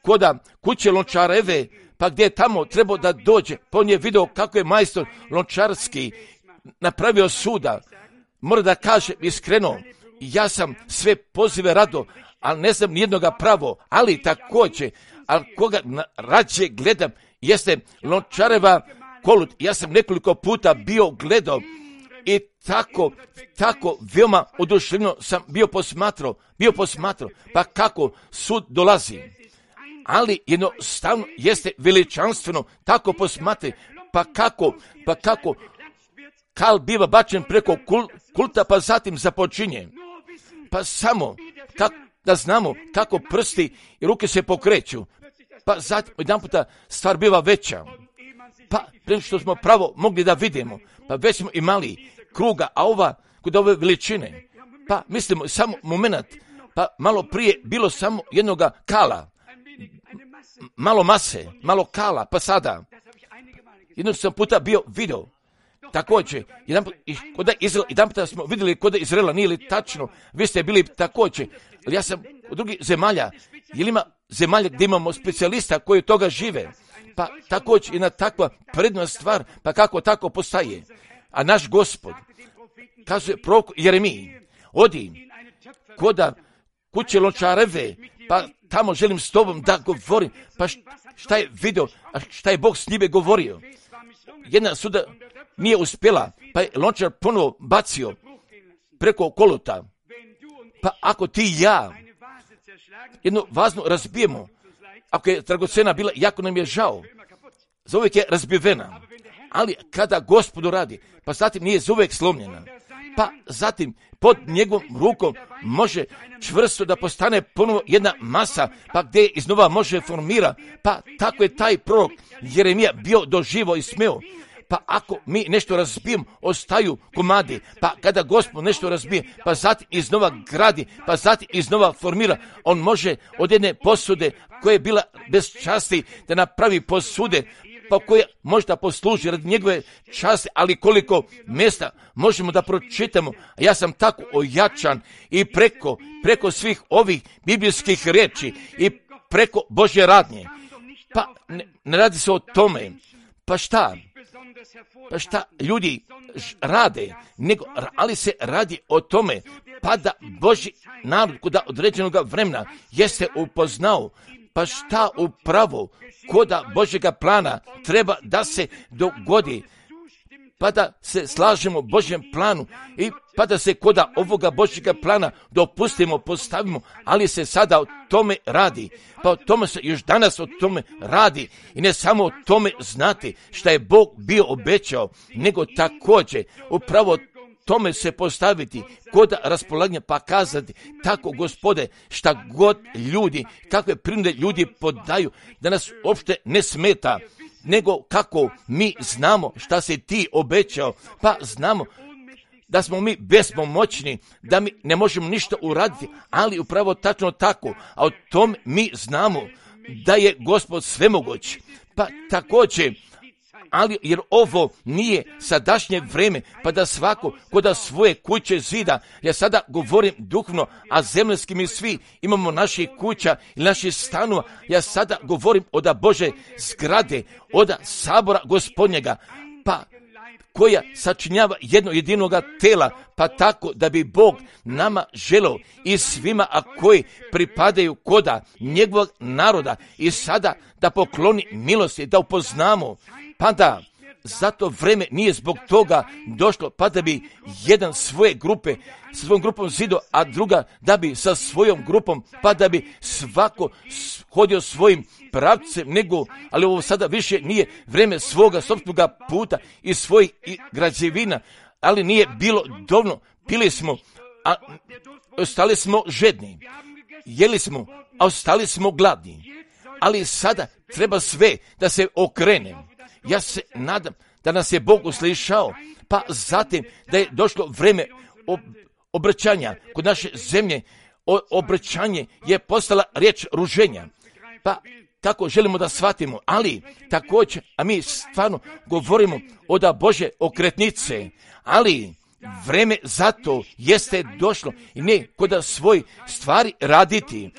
koda kuće lončareve, pa gdje je tamo trebao da dođe, pa on je vidio kako je majstor lončarski napravio suda. Mora da kažem iskreno, ja sam sve pozive rado, ali ne znam nijednoga pravo, ali također, ali koga rađe gledam, jeste lončareva kolut. Ja sam nekoliko puta bio gledao i tako veoma oduševljeno sam bio posmatrao, pa kako sud dolazi. Ali jednostavno jeste veličanstveno tako posmatrati, pa kako kal biva bačen preko kulta, pa zatim započinje. Pa samo da znamo kako prsti i ruke se pokreću, pa zatim jedan puta stvar biva veća. Pa prije što smo pravo mogli da vidimo, pa već smo imali kruga, a kod ove veličine, pa mislimo samo moment, pa malo prije bilo samo jednoga kala, malo mase, malo kala, pa sada jednog sam puta bio video. Također, jedan puta smo vidjeli kod Izraela, nije li tačno, vi ste bili također, ali ja sam od drugih zemalja, jer ima zemalja gdje imamo specijalista koji od toga žive, pa također jedna takva predna stvar, pa kako tako postaje. A naš Gospod kaže prorok Jeremiji, odi koda kuće lončareve, pa tamo želim s tobom da govorim, pa šta je video, a šta je Bog s njime govorio. Jedna suda nije uspjela, pa je lončar ponovo bacio preko koluta. Pa ako ti i ja jednu vaznu razbijemo, ako je dragocena bila, jako nam je žao, za uvijek je razbivena, ali kada Gospodu radi, pa zatim nije za uvijek slomljena, pa zatim pod njegovom rukom može čvrsto da postane ponovo jedna masa, pa gdje iznova može formira, pa tako je taj prorok Jeremija bio doživo i smeo. Pa ako mi nešto razbijemo, ostaju komadi, pa kada Gospod nešto razbije, pa zatim iznova gradi, pa zatim iznova formira, on može od jedne posude koja je bila bez časti da napravi posude, pa koja možda posluži radi njegove časti, ali koliko mjesta možemo da pročitamo. A ja sam tako ojačan i preko svih ovih biblijskih riječi i preko Božje radnje. Pa ne radi se o tome. Pa šta ljudi rade, ali se radi o tome, pa da Božji narod kod određenog vremena jeste upoznao, pa šta upravo koda Božjega plana treba da se dogodi, pa da se slažemo Božjem planu i pa da se kod ovoga Božjega plana dopustimo, postavimo, ali se sada o tome radi. Pa o tome se još danas o tome radi i ne samo o tome znati šta je Bog bio obećao, nego također upravo tome se postaviti kod raspolaganja pa kazati tako Gospode šta god ljudi, kakve prinude ljudi podaju da nas uopšte ne smeta, nego kako mi znamo šta si ti obećao, pa znamo da smo mi bespomoćni, da mi ne možemo ništa uraditi, ali upravo tačno tako, a o tom mi znamo da je Gospod svemoguć. Pa također, ali jer ovo nije sadašnje vreme, pa da svako koda svoje kuće zida, ja sada govorim duhovno, a zemaljski mi svi imamo naših kuća i naših stanova, ja sada govorim od Bože zgrade, od sabora Gospodnjega, pa koja sačinjava jedno jedinoga tela, pa tako da bi Bog nama želeo i svima, a koji pripadaju koda njegovog naroda i sada da pokloni milosti, da upoznamo, pa da zato vreme nije zbog toga došlo, pa da bi jedan svoje grupe sa svojom grupom zido, a druga da bi sa svojom grupom, pa da bi svako hodio svojim pravcem, nego, ali ovo sada više nije vreme svoga sopstvenog puta i svojih građevina, ali nije bilo dovoljno, pili smo, a ostali smo žedni, jeli smo, a ostali smo gladni, ali sada treba sve da se okrene. Ja se nadam da nas je Bog uslišao, pa zatim da je došlo vreme obraćanja kod naše zemlje. Obraćanje je postala riječ ruženja, pa tako želimo da shvatimo, ali također, a mi stvarno govorimo od Bože okretnice, ali vreme zato jeste došlo i ne kod svoj stvari raditi,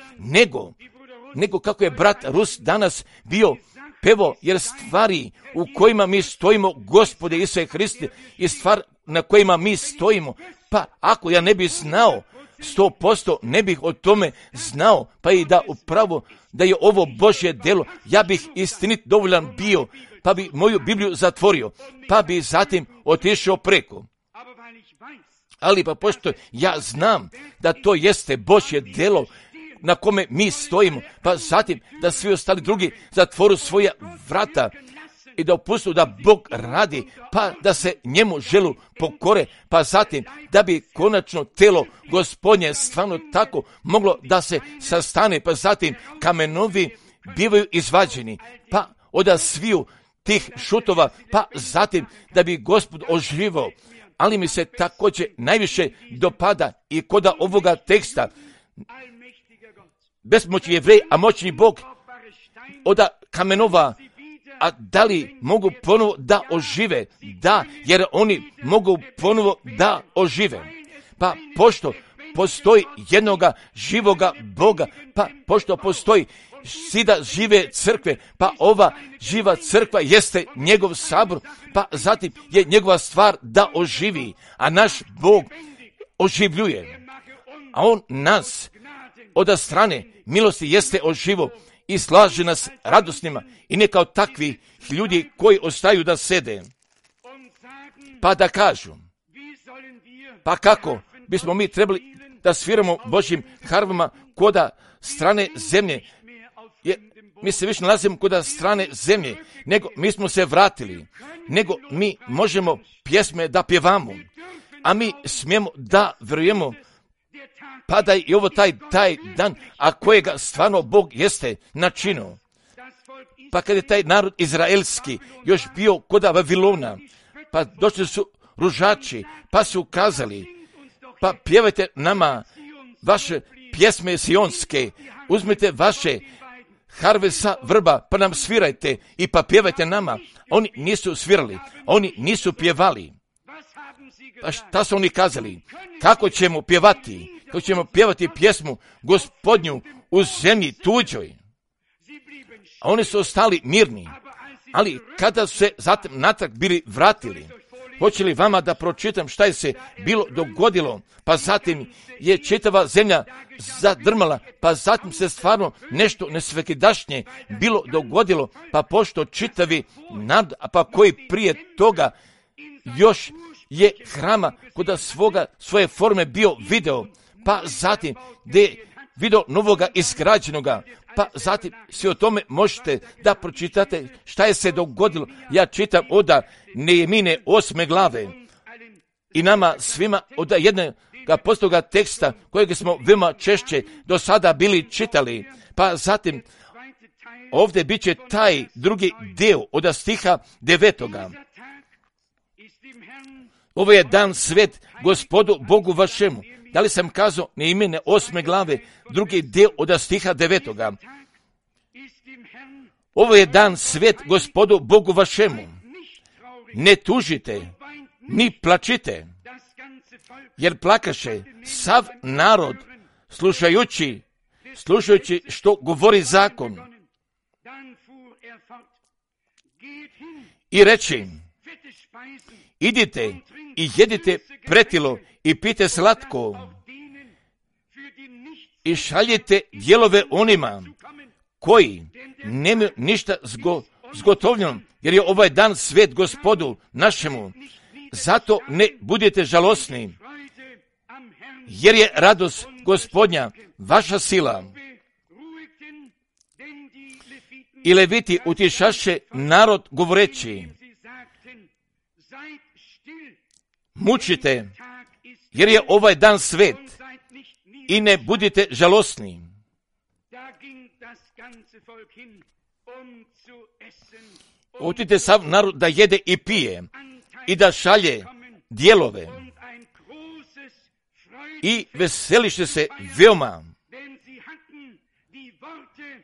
nego kako je brat Rus danas bio pevo, jer stvari u kojima mi stojimo, Gospode Isuse Hriste, i stvar na kojima mi stojimo, pa ako ja ne bih znao, 100% ne bih o tome znao, pa i da upravo da je ovo Božje delo, ja bih istinit dovoljan bio, pa bi moju Bibliju zatvorio, pa bi zatim otišao preko. Ali pa pošto ja znam da to jeste Božje delo na kome mi stojimo, pa zatim da svi ostali drugi zatvoru svoja vrata i da opustu da Bog radi, pa da se njemu želu pokore, pa zatim da bi konačno telo Gospodnje stvarno tako moglo da se sastane, pa zatim kamenovi bivaju izvađeni, pa od sviju tih šutova, pa zatim da bi Gospod oživao. Ali mi se također najviše dopada i kod ovoga teksta, besmoćni Jevrej, a moćni Bog od kamenova, a da li mogu ponovo da ožive? Da, jer oni mogu ponovo da ožive. Pa pošto postoji jednoga živoga Boga, pa pošto postoji sida žive crkve, pa ova živa crkva jeste njegov sabor, pa zatim je njegova stvar da oživi, a naš Bog oživljuje. A on nas od strane milosti jeste oživo i slaže nas radosnima i ne kao takvi ljudi koji ostaju da sede, pa da kažu, pa kako bismo mi trebali da sviramo Božjim harvama koda strane zemlje, jer mi se više nalazimo koda strane zemlje, nego mi smo se vratili, nego mi možemo pjesme da pjevamo, a mi smijemo da vjerujemo, pa da i ovo taj dan, a kojega stvarno Bog jeste načinio. Pa kad je taj narod izraelski još bio kod Vavilona, pa došli su ružači, pa su kazali, pa pjevajte nama vaše pjesme sionske, uzmite vaše harve sa vrba, pa nam svirajte i pa pjevajte nama. Oni nisu svirali, oni nisu pjevali. Pa šta su oni kazali? Kako ćemo pjevati? Kako ćemo pjevati pjesmu Gospodnju u zemlji tuđoj? A oni su ostali mirni. Ali kada su se zatim natrag bili vratili, hoće li vama da pročitam šta je se bilo dogodilo, pa zatim je čitava zemlja zadrmala, pa zatim se stvarno nešto nesvekidašnje bilo dogodilo, pa pošto čitavi narod, pa koji prije toga još je hrama kod svoje forme bio video, pa zatim gdje je video novoga izgrađenoga, pa zatim svi o tome možete da pročitate šta je se dogodilo. Ja čitam od Nehemine 8. glave i nama svima od jednog postoga teksta kojeg smo veoma češće do sada bili čitali, pa zatim ovdje bit će taj drugi dio od stiha 9. Ovo je dan svet Gospodu Bogu vašemu. Da li sam kazao Nehemine 8. glave, drugi dio od stiha 9. Ovo je dan svet Gospodu Bogu vašemu. Ne tužite, ni plačite, jer plakaše sav narod slušajući što govori zakon. I reći, idite i jedite pretilo i pijte slatko i šaljite dijelove onima koji nemaju ništa zgotovljeno, jer je ovaj dan svet Gospodu našemu. Zato ne budete žalosni, jer je radost Gospodnja vaša sila. I Leviti utišaše narod govoreći, mučite, jer je ovaj dan svet, i ne budite žalosni. Otite sav narod da jede i pije i da šalje dijelove i veseliše se veoma.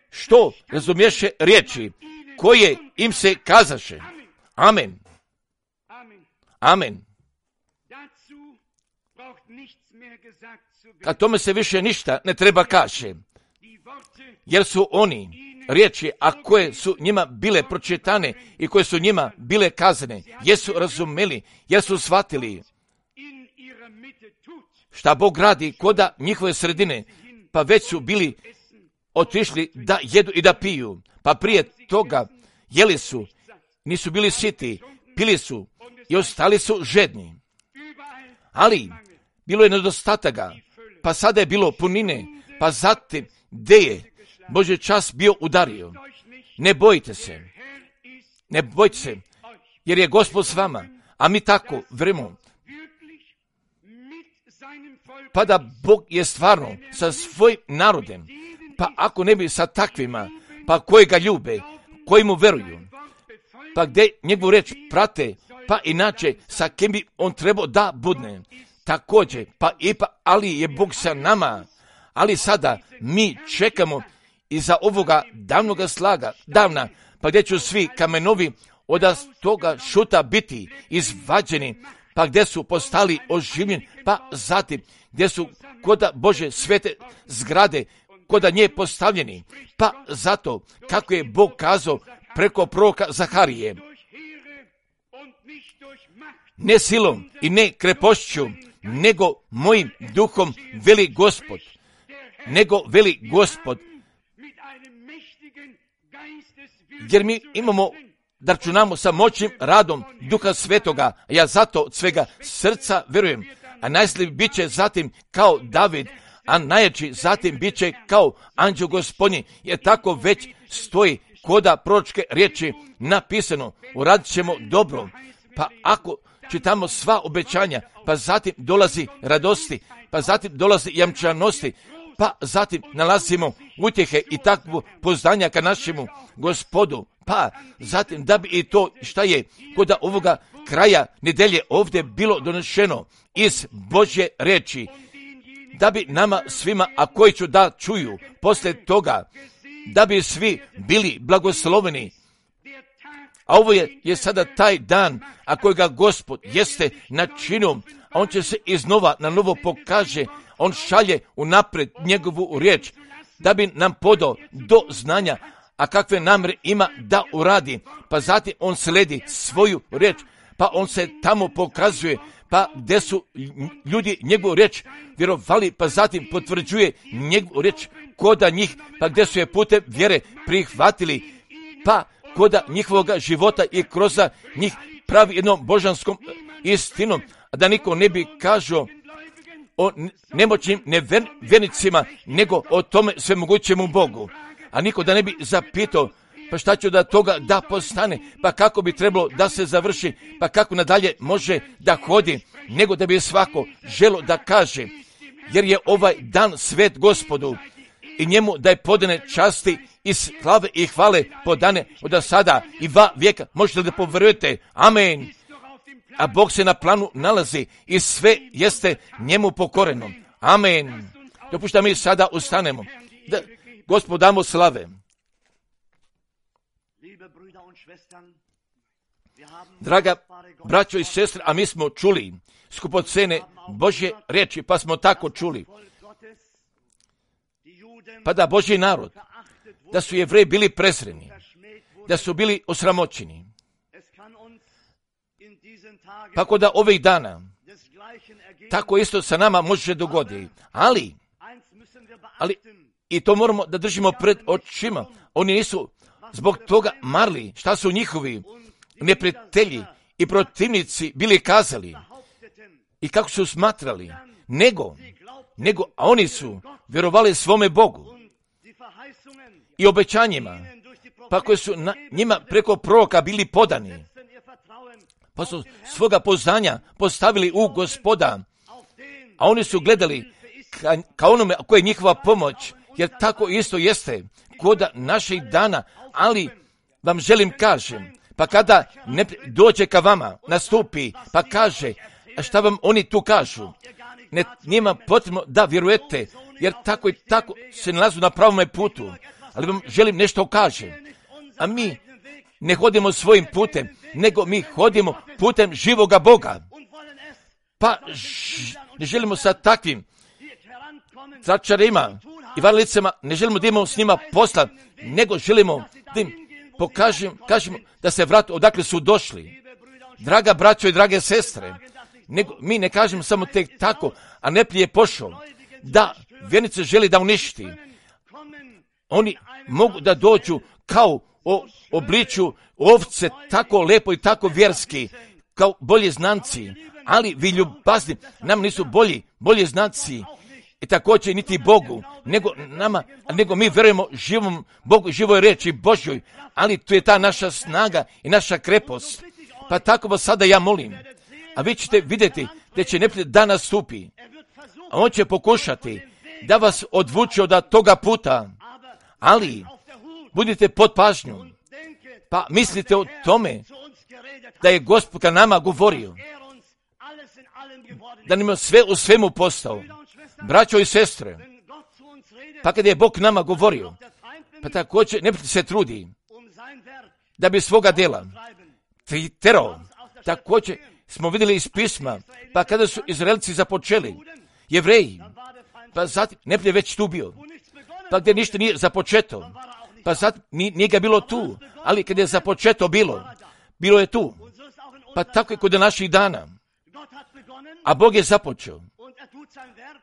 Što razumješe riječi koje im se kazaše. Amen. Amen. Kad tome se više ništa ne treba kaže, jer su oni riječi, a koje su njima bile pročitane i koje su njima bile kazane, jesu razumeli, jesu shvatili šta Bog radi koda njihove sredine, pa već su bili otišli da jedu i da piju, pa prije toga jeli su, nisu bili siti, pili su i ostali su žedni. Ali bilo je nedostataka, pa sada je bilo punine, pa zatim gdje je Božji čas bio udario. Ne bojite se, jer je Gospod s vama, a mi tako vremo. Pa da Bog je stvarno sa svojim narodem, pa ako ne bi sa takvima, pa koji ga ljube, koji mu veruju, pa gdje njegovu reč prate, pa inače sa kim bi on trebao da budne. Također, ali je Bog sa nama, ali sada mi čekamo iza ovoga davnoga davna, pa gdje će svi kamenovi od toga šuta biti izvađeni, pa gdje su postali oživljeni, pa zatim gdje su koda Bože svete zgrade koda nje postavljeni, pa zato kako je Bog kazao preko proroka Zaharije, ne silom i ne krepošću, nego mojim duhom veli Gospod, jer mi imamo da računamo sa moćnim radom Duha Svetoga, ja zato od svega srca verujem, a najslabiji bit će zatim kao David, a najjači zatim bit će kao anđeo Gospodnji, jer tako već stoji koda proročke riječi napisano, uradit ćemo dobro. Pa ako čitamo sva obećanja, pa zatim dolazi radosti, pa zatim dolazi jamčanosti, pa zatim nalazimo utjehe i takvo poznanja ka našemu Gospodu, pa zatim da bi i to šta je kod ovoga kraja nedelje ovdje bilo donešeno iz Božje riječi, da bi nama svima, a koji ću da čuju poslije toga, da bi svi bili blagosloveni. A ovo je sada taj dan, a kojega Gospod jeste načinio, a on će se iznova na novo pokaže, on šalje unaprijed njegovu riječ, da bi nam podao do znanja, a kakve namjere ima da uradi, pa zatim on sledi svoju riječ, pa on se tamo pokazuje, pa gdje su ljudi njegovu riječ vjerovali, pa zatim potvrđuje njegovu riječ koda njih, pa gdje su je putem vjere prihvatili, pa koda njihovog života i kroz njih pravi jednom božanskom istinom, a da niko ne bi kažao o nemoćnim nevjernicima, nego o tome svemogućemu Bogu. A niko da ne bi zapitao, pa šta će da toga da postane, pa kako bi trebalo da se završi, pa kako nadalje može da hodi, nego da bi svako želo da kaže, jer je ovaj dan svet Gospodu i njemu da je podane časti i slave i hvale podane od sada i va vijeka. Možete li da poverujete? Amen. A Bog se na planu nalazi i sve jeste njemu pokoreno. Amen. Dopušta mi sada ustanemo. Da Gospod damo slave. Draga braćo i sestre, a mi smo čuli skupocene Božje riječi, pa smo tako čuli. Pa da Božji narod, da su Jevreji bili prezreni, da su bili osramoćeni. Pa kod da ovih dana, tako isto sa nama može dogoditi. Ali, i to moramo da držimo pred očima. Oni nisu zbog toga marli šta su njihovi neprijatelji i protivnici bili kazali i kako su smatrali, nego a oni su vjerovali svome Bogu i obećanjima, pa koji su njima preko proroka bili podani, pa su svoga poznanja postavili u Gospoda, a oni su gledali ka onome koja je njihova pomoć, jer tako isto jeste kod naših dana. Ali vam želim kažem, pa kada ne dođe ka vama, nastupi, pa kaže, a šta vam oni tu kažu? Njima potrebno da vjerujete, jer tako i tako se nalazu na pravome putu. Ali vam želim nešto kažem. A mi ne hodimo svojim putem, nego mi hodimo putem živoga Boga. Pa ne želimo sa takvim tračarima i varlicama, ne želimo da imamo s njima posla, nego želimo da im kažemo da se vrate odakle su došli. Draga braćo i drage sestre, mi ne kažemo samo tek tako, a neplije je pošao da vjernice želi da uništi. Oni mogu da dođu kao obliču ovce, tako lepo i tako vjerski, kao bolji znanci, ali vi ljubazni nam nisu bolji znanci i također niti Bogu, nego mi vjerujemo živom Bogu, živoj riječi Božjoj, ali tu je ta naša snaga i naša krepost. Pa tako vas sada ja molim, a vi ćete vidjeti da će neprijatelj da nastupi, a on će pokušati da vas odvuče od toga puta, ali budite pod pažnjom, pa mislite o tome da je Gospod ka nama govorio, da nam je sve u svemu postao. Braćo i sestre, pa kada je Bog nama govorio, pa također neprijatelj se trudi da bi svoga djela terao. Također smo vidjeli iz pisma, pa kada su Izraelci započeli, Jevreji, pa zatim neprijatelj već tu bio, pa gdje ništa nije započeto, pa sad nije ga bilo tu, ali kad je započeto bilo je tu. Pa tako je kod naših dana. A Bog je započeo.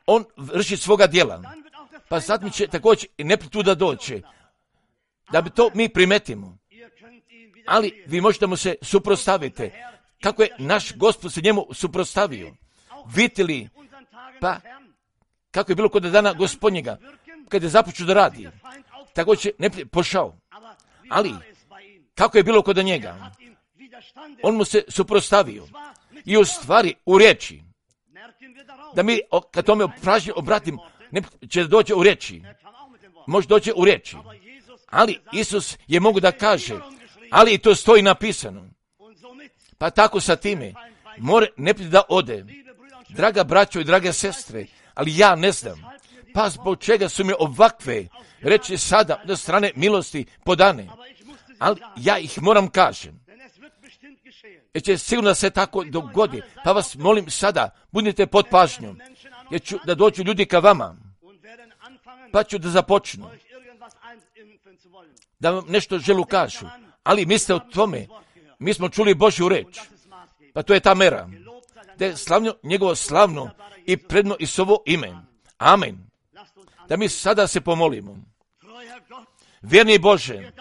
On vrši svoga djela. Pa sad mi će također i neprijatelj tu da doće. Da bi to mi primetimo. Ali vi možete mu se suprotstaviti. Kako je naš Gospod se njemu suprotstavio. Vidite li, pa kako je bilo kod dana Gospodnjega, kad je započeo da radi. Također neprijatelj pošao. Ali kako je bilo kod njega? On mu se suprotstavio. I u stvari u riječi, da mi kad tome obratim, ne će doći u riječi. Može doći u riječi. Ali Isus je mogu da kaže, ali i to stoji napisano. Pa tako sa time, more neprijatelj da ode. Draga braćo i drage sestre, ali ja ne znam, pa zbog čega su mi ovakve reći sada od strane milosti podane. Ali ja ih moram kažem. Jer će sigurno se tako dogodi. Pa vas molim sada, budite pod pažnjom. Jer ću da dođu ljudi ka vama. Pa ću da započnu. Da vam nešto želu kažu. Ali mislite o tome. Mi smo čuli Božju reč. Pa to je ta mera. Da je slavno njegovo slavno i predno i sovo ime. Amen. Da mi sada se pomolimo. Vjerni Bože,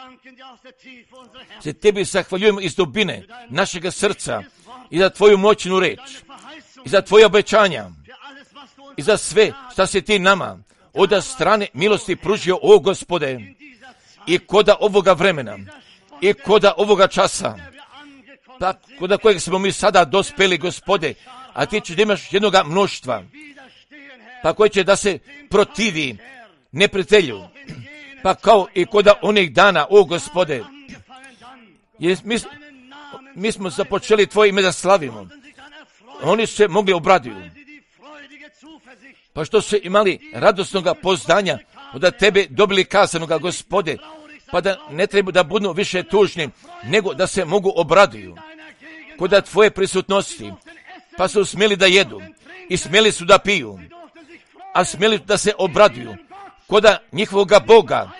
se tebi zahvaljujemo iz dubine našega srca i za tvoju moćnu reč, i za tvoje obećanja, i za sve šta si ti nama od strane milosti pružio, o Gospode, i koda ovoga vremena, i koda ovoga časa, pa koda kojeg smo mi sada dospeli, Gospode, a ti ćeš da imaš jednoga mnoštva, pa koji će da se protivi neprijatelju, pa kao i koda onih dana, o Gospode, mi smo započeli tvoje ime da slavimo. Oni se mogli obraduju, pa što su imali radosnoga poznanja od tebe dobili kazanoga, Gospode, pa da ne treba da budu više tužni, nego da se mogu obraduju kod tvoje prisutnosti, pa su smjeli da jedu i smjeli su da piju, a smjeli da se obraduju kod njihovoga Boga,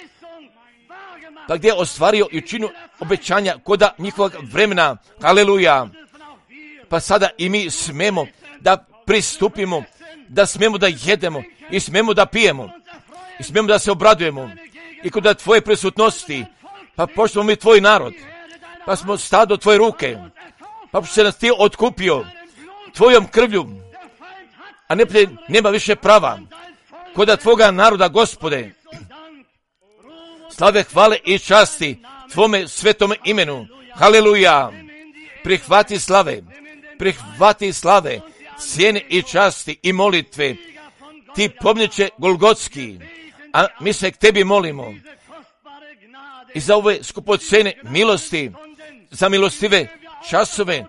pa gdje je ostvario i činu obećanja kod njihovog vremena. Haleluja! Pa sada i mi smemo da pristupimo, da smemo da jedemo i smemo da pijemo i smemo da se obradujemo i kod tvoje prisutnosti, pa pošto mi tvoj narod, pa smo stado tvoje ruke, pa se nas ti otkupio tvojom krvlju, a nema više prava kod tvoga naroda, Gospode. Slave, hvale i časti tvome svetome imenu. Haleluja! Prihvati slave, cijene i časti i molitve. Ti pomniče Golgotski, a mi se k tebi molimo i za ove skupocene milosti, za milostive časove,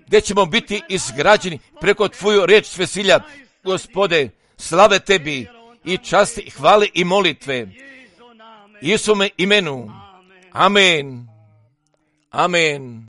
gdje ćemo biti izgrađeni preko tvoju reč svesilja. Gospode, slave tebi i časti, hvale i molitve. Isume imenu. Amen. Amen.